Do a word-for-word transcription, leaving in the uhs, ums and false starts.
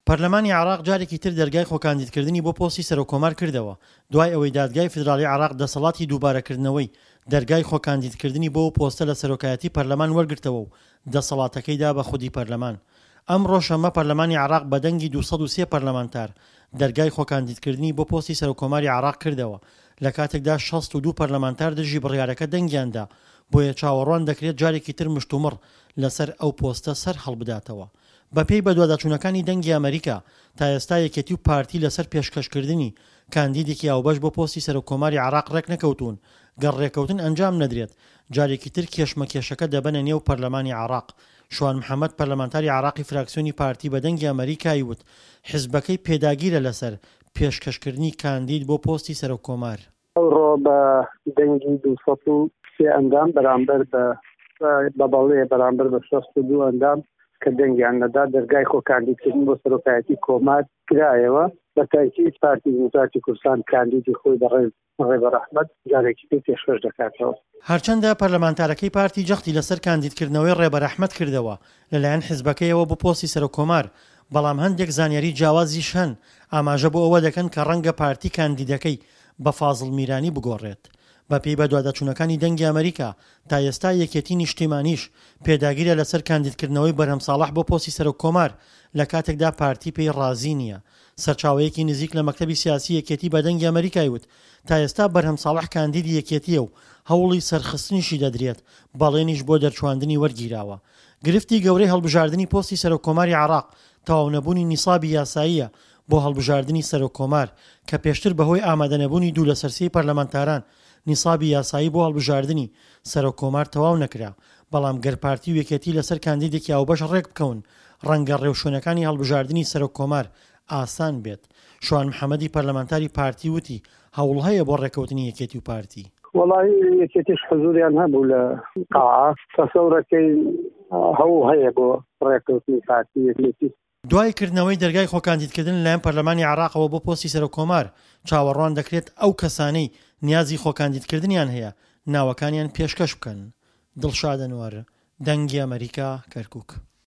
پەرلەمانی عێراق جارێکی تر دەرگای خۆکاندیدکردنی بۆ پۆستی سەرۆککۆمار کردەوە، دوای ئەوەی دادگای فیدراڵی عێراق دەسەڵاتی دووبارەکردنەوەی دەرگای خۆکاندیدکردنی بۆ ئەو پۆستە لە سەرۆکایەتی پەرلەمان وەرگرتەوە و دەسەڵاتەکەی دا بە خودی پەرلەمان. ئەمڕۆ شەممە پەرلەمانی عێراق بە دەنگی دوو سەد و سێ پەرلەمانتار دەرگای خۆکاندیدکردنی بۆ پۆستی سەرۆککۆماری عێراق کردەوە، لە کاتێکدا شەست و دوو پەرلەمانتار دژی بڕیارەکە دەنگیان دا، بۆیە چاوەڕوان دەکرێت جارێکی تر مشتومڕ لەسەر ئەو پۆستە سەر هەڵبداتەوە. بەپێی بەدواداچوونەکانی دەنگی ئەمەریکا، تا ئێستا یەکێتی و پارتی لەسەر پێشکەشکردنی کاندیدێکی هاوبەش بۆ پۆستی سەرۆککۆماری عێراق ڕێکنەکەوتوون، گەر ڕێکەوتن ئەنجام نەدرێت، جارێکی تر کێشمەکێشەکە دەبەنە نێو پەرلەمانی عێراق. شوان محەمەد پەرلەمانتاری عێراقی فراکسیۆنی پارتی بە دەنگی ئەمەریکای وت حزبەکەی پێداگیرە لەسەر پێشکەشکردنی کاندید بۆ پۆستی سەرۆککۆمار. ئەوڕۆ بە دەنگی دوو سەد و سێ ئەندام بەرامبەر بە بە بەڵێ بەرامبەر بە شەست و دوو ئەندام کە دەنگیان نەدا، دەرگای خۆکاندیدکردن بۆ سەرۆکایەتی کۆمار کرایەوە. بە تاکید پارتی دیموکراتی کوردستان کاندیدی خۆی بەڕێز ڕێبەر ئەحمەد جارێکی تر پێشکەش دەکاتەوە. هەرچەندە پەرلەمانتارەکەی پارتی جەختی لەسەر کاندیدکردنەوەی ڕێبەر ئەحمەد کردەوە لەلایەن حزبەکەیەوە بۆ پۆستی سەرۆککۆمار، بەڵام هەندێک زانیاری جیاوازیش هەن ئاماژە بۆ ئەوە دەکەن کە ڕەنگە پارتی کاندیدەکەی بە فازڵ میرانی بگۆڕێت. بەپێی بەدواداچوونەکانی دەنگی ئەمەریکا، تا ئێستا یەکێتی نیشتیمانیش پێداگیرە لەسەر کاندیدکردنەوەی بەرهەم ساڵح بۆ پۆستی سەرۆککۆمار، لە کاتێکدا پارتی پێی ڕازی نییە. سەرچاوەیەکی نزیک لە مەکتەبی سیاسی یەکێتی بە دەنگی ئەمەریکای وت، تا ئێستا بەرهەم ساڵح کاندیدی یەکێتییە و هەوڵی سەرخستنیشی دەدرێت، بەڵێنیش بۆ دەرچواندنی وەرگیراوە. گرفتی گەورەی هەڵبژاردنی پۆستی سەرۆککۆماری عێراق، تەواونەبوونی نیسابی یاساییە بۆ هەڵبژاردنی سەرۆککۆمار، کە پێشتر بەهۆی ئامادەنەبوونی دوو لەسەر سێی پەرلەمانتاران نیسابی یاسایی بۆ هەڵبژاردنی سەرۆککۆمار تەواو نەکرا، بەڵام گەر پارتی و یەکێتی لەسەر کاندیدێکی هاوبەش ڕێکبکەون، ڕەنگە ڕێوشوێنەکانی هەڵبژاردنی سەرۆککۆمار ئاسان بێت. شوان محەمەدی پەرلەمانتاری پارتی وتی، هەوڵ هەیە بۆ ڕێککەوتنی یەکێتی و پارتی. وەڵاهی یەکێتیش حزوریان هەبوو لە قاعە، تەسەورەکەی هەوڵ هەیە بۆ ڕێککەوتنی پارتی یەکێتی. دوای کردنەوەی دەرگای خۆکاندیدکردن لەلایەن پەرلەمانی عێراقەوە بۆ پۆستی سەرۆککۆمار، چاوەڕوان دەکرێت ئەو کەسانەی نیازی خۆکاندیدکردنیان هەیە، ناوەکانیان پێشکەش بکەن. دڵشاد ئەنوەر، دەنگی ئەمەریکا، کەرکوک.